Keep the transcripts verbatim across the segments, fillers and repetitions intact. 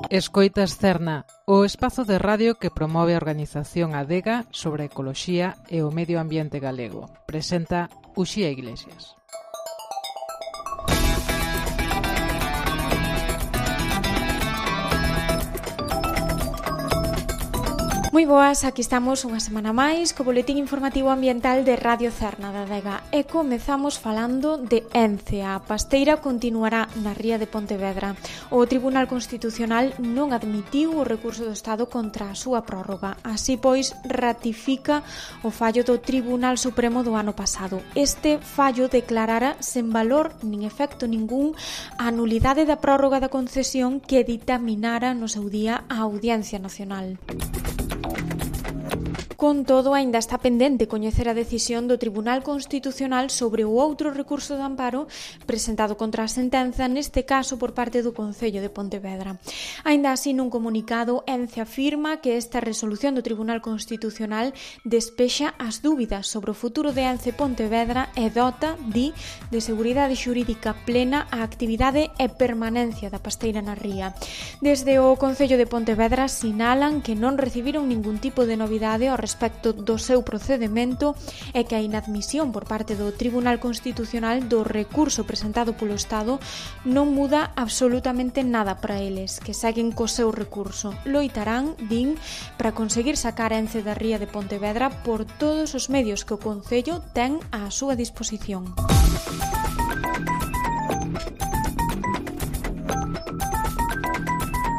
Escoitas Cerna, o espazo de radio que promove a organización Adega sobre a ecoloxía e o medio ambiente galego. Presenta Uxía Iglesias. Moi boas, aquí estamos unha semana máis co boletín informativo ambiental de Radio Cerna da Adega e comezamos falando de Ence. A pasteira continuará na ría de Pontevedra. O Tribunal Constitucional non admitiu o recurso do Estado contra a súa prórroga. Así pois, ratifica o fallo do Tribunal Supremo do ano pasado. Este fallo declarara sen valor nin efecto ningún a nulidade da prórroga da concesión que ditaminara no seu día a Audiencia Nacional. Con todo, aínda está pendente coñecer a decisión do Tribunal Constitucional sobre o outro recurso de amparo presentado contra a sentenza, neste caso por parte do Concello de Pontevedra. Aínda así, nun comunicado, Ence afirma que esta resolución do Tribunal Constitucional despexa as dúbidas sobre o futuro de Ence Pontevedra e dota, di, de seguridade xurídica plena a actividade e permanencia da pasteira na ría. Desde o Concello de Pontevedra sinalan que non recibiron ningún tipo de novidade ao respecto do seu procedemento e que a inadmisión por parte do Tribunal Constitucional do recurso presentado polo Estado non muda absolutamente nada para eles, que seguen co seu recurso. Loitarán, din, para conseguir sacar a Ence da ría de Pontevedra por todos os medios que o Concello ten á súa disposición.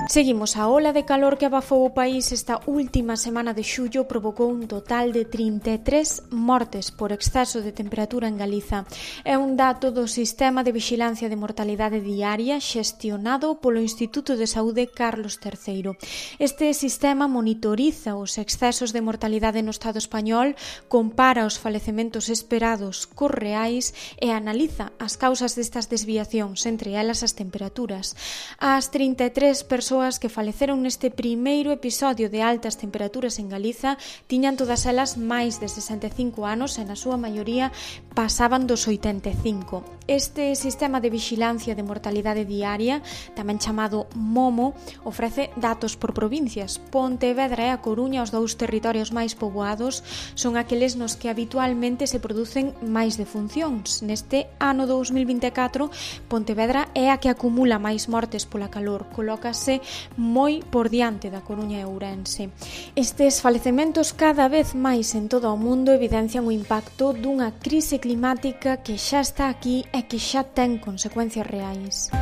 Seguimos. A ola de calor que abafou o país esta última semana de xullo provocou un total de trinta e tres mortes por exceso de temperatura en Galiza. É un dato do Sistema de Vixilancia de Mortalidade Diaria xestionado polo Instituto de Saúde Carlos terceiro. Este sistema monitoriza os excesos de mortalidade no Estado español, compara os falecementos esperados cos reais e analiza as causas destas desviacións, entre elas as temperaturas. As trinta e tres persoas que faleceron neste primeiro episodio de altas temperaturas en Galiza tiñan todas elas máis de sesenta e cinco anos e na súa maioría pasaban dos oitenta e cinco. Este sistema de vixilancia de mortalidade diaria, tamén chamado MOMO, ofrece datos por provincias. Pontevedra e a Coruña, os dous territorios máis poboados, son aqueles nos que habitualmente se producen máis defuncións. Neste ano dous mil vinte e catro, Pontevedra é a que acumula máis mortes pola calor, colócase moi por diante da Coruña e Ourense. Estes falecementos cada vez máis en todo o mundo evidencian o impacto dunha crise climática que xa está aquí e que xa ten consecuencias reais.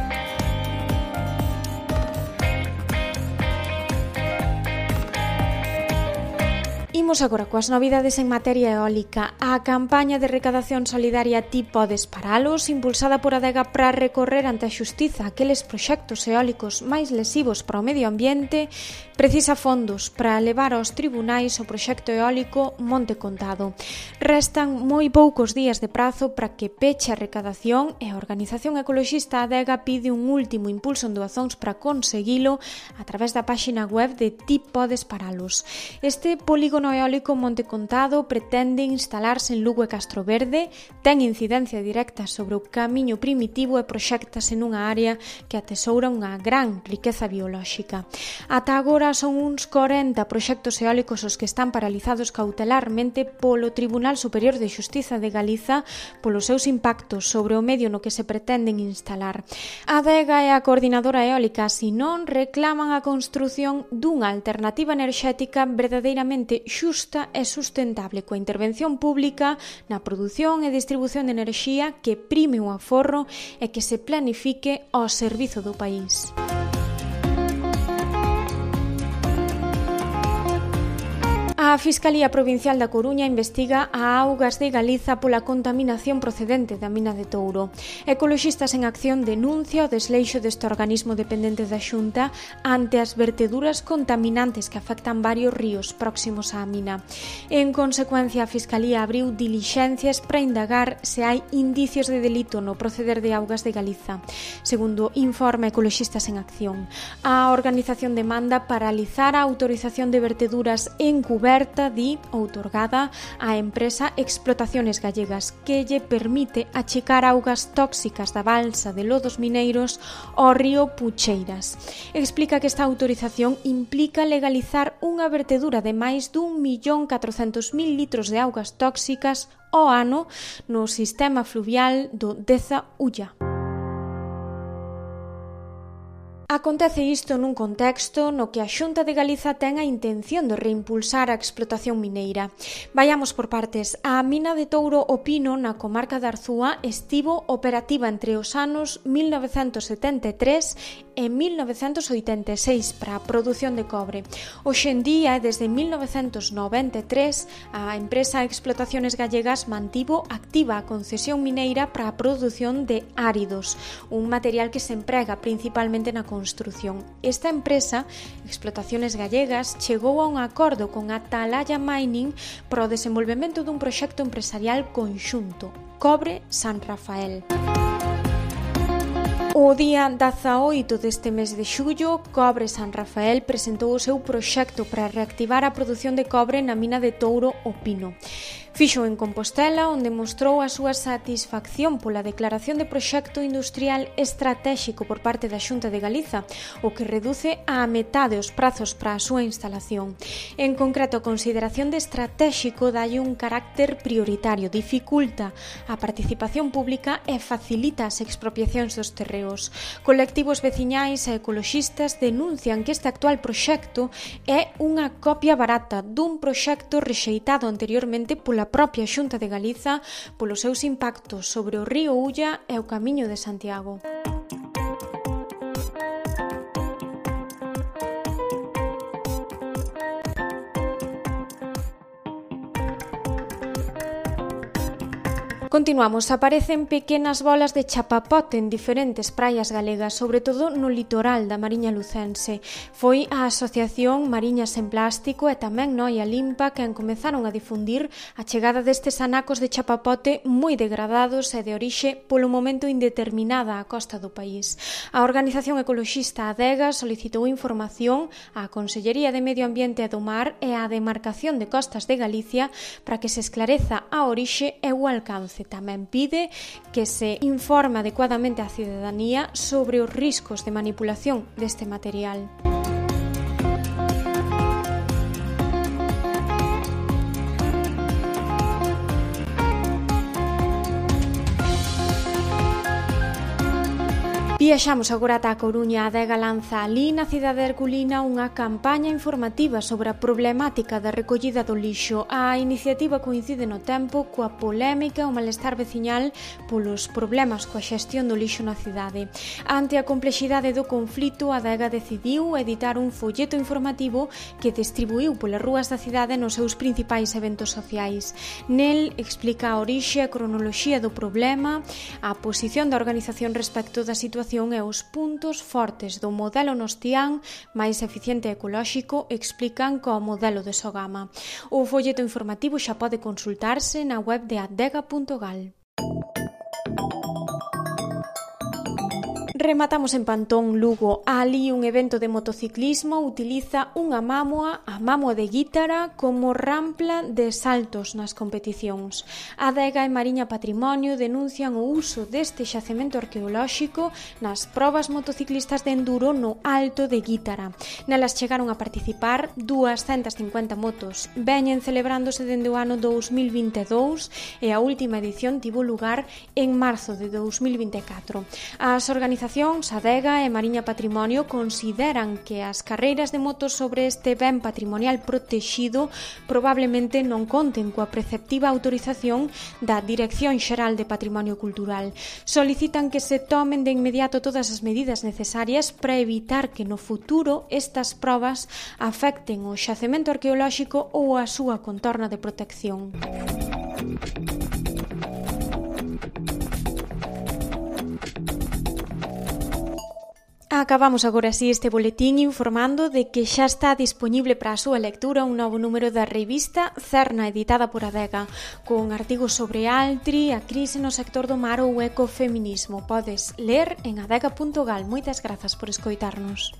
Imos agora coas novidades en materia eólica. A campaña de recadación solidaria Ti Podes Paralos, impulsada por Adega para recorrer ante a xustiza aqueles proxectos eólicos máis lesivos para o medio ambiente, precisa fondos para levar aos tribunais o proxecto eólico Monte Contado. Restan moi poucos días de prazo para que peche a recadación e a organización ecoloxista Adega pide un último impulso en doazóns para conseguilo a través da páxina web de Ti Podes Paralos. Este polígono eólico Monte Contado pretende instalarse en Lugo e Castroverde, ten incidencia directa sobre o camiño primitivo e proxéctase nunha área que atesoura unha gran riqueza biolóxica. Ata agora son uns corenta proxectos eólicos os que están paralizados cautelarmente polo Tribunal Superior de Xustiza de Galiza polos seus impactos sobre o medio no que se pretenden instalar. A Adega e a Coordinadora Eólica, si non, reclaman a construción dunha alternativa enerxética verdadeiramente xusta e sustentable coa intervención pública na produción e distribución de enerxía que prime o aforro e que se planifique ao servizo do país. A Fiscalía Provincial da Coruña investiga a Augas de Galiza pola contaminación procedente da mina de Touro. Ecoloxistas en Acción denuncia o desleixo deste organismo dependente da Xunta ante as verteduras contaminantes que afectan varios ríos próximos á mina. En consecuencia, a Fiscalía abriu dilixencias para indagar se hai indicios de delito no proceder de Augas de Galiza. Segundo informa Ecoloxistas en Acción, a organización demanda paralizar a autorización de verteduras encubertas alerta, di, outorgada á empresa Explotaciones Gallegas, que lle permite achicar augas tóxicas da balsa de lodos mineiros ao río Pucheiras. Explica que esta autorización implica legalizar unha vertedura de máis dun millón catrocentos mil litros de augas tóxicas ao ano no sistema fluvial do Deza Ulla. Acontece isto nun contexto no que a Xunta de Galiza ten a intención de reimpulsar a explotación mineira. Vayamos por partes. A mina de Touro o Pino na comarca de Arzúa estivo operativa entre os anos mil novecentos setenta e tres e mil novecentos oitenta e seis para a produción de cobre. Hoxe en día, desde mil novecentos noventa e tres, a empresa Explotaciones Gallegas mantivo activa a concesión mineira para a produción de áridos, un material que se emprega principalmente na construción. Esta empresa, Explotaciones Gallegas, chegou a un acordo con Atalaya Mining para o desenvolvemento dun proxecto empresarial conxunto, Cobre San Rafael. O día dezaoito deste mes de xullo, Cobre San Rafael presentou o seu proxecto para reactivar a produción de cobre na mina de Touro o Pino. Fixo en Compostela, onde mostrou a súa satisfacción pola declaración de proxecto industrial estratéxico por parte da Xunta de Galiza, o que reduce á metade os prazos para a súa instalación. En concreto, a consideración de estratéxico dalle un carácter prioritario, dificulta a participación pública e facilita as expropiacións dos terreos. Colectivos veciñais e ecoloxistas denuncian que este actual proxecto é unha copia barata dun proxecto rexeitado anteriormente pola propia Xunta de Galiza polos seus impactos sobre o río Ulla e o Camiño de Santiago. Continuamos. Aparecen pequenas bolas de chapapote en diferentes praias galegas, sobre todo no litoral da Mariña Lucense. Foi a Asociación Mariñas en Plástico e tamén Noia Limpa quen comezaron a difundir a chegada destes anacos de chapapote moi degradados e de orixe polo momento indeterminada á costa do país. A organización ecoloxista Adega solicitou información á Consellería de Medio Ambiente e do Mar e á Demarcación de Costas de Galicia para que se esclareza a orixe e o alcance. Tamén pide que se informe adecuadamente á cidadanía sobre os riscos de manipulación deste material. Viaxamos agora ata a Coruña. A Adega lanza alí na cidade herculina unha campaña informativa sobre a problemática da recollida do lixo. A iniciativa coincide no tempo coa polémica e o malestar veciñal polos problemas coa xestión do lixo na cidade. Ante a complexidade do conflito, a Adega decidiu editar un folleto informativo que distribuiu polas rúas da cidade nos seus principais eventos sociais. Nel explica a orixe e a cronoloxía do problema, a posición da organización respecto da situación e os puntos fortes do modelo nostián máis eficiente e ecolóxico, explican co modelo de Sogama. O folleto informativo xa pode consultarse na web de adega punto gal. Rematamos en Pantón, Lugo. Ali un evento de motociclismo utiliza unha mámoa, a mámoa de Guítara, como rampla de saltos nas competicións. A Adega e Mariña Patrimonio denuncian o uso deste xacemento arqueolóxico nas probas motociclistas de enduro no Alto de Guítara. Nelas chegaron a participar dúascentas cincuenta motos. Veñen celebrándose dende o ano dous mil vinte e dous e a última edición tivo lugar en marzo de dous mil vinte e catro. As organizacións Adega e Mariña Patrimonio consideran que as carreiras de motos sobre este ben patrimonial protexido probablemente non conten coa preceptiva autorización da Dirección Xeral de Patrimonio Cultural. Solicitan que se tomen de inmediato todas as medidas necesarias para evitar que no futuro estas probas afecten o xacemento arqueolóxico ou a súa contorna de protección. Acabamos agora así este boletín informando de que xa está dispoñible para a súa lectura un novo número da revista Cerna, editada por Adega, con artigos sobre Altri, a crise no sector do mar ou o ecofeminismo. Podes ler en adega punto gal. Moitas grazas por escoitarnos.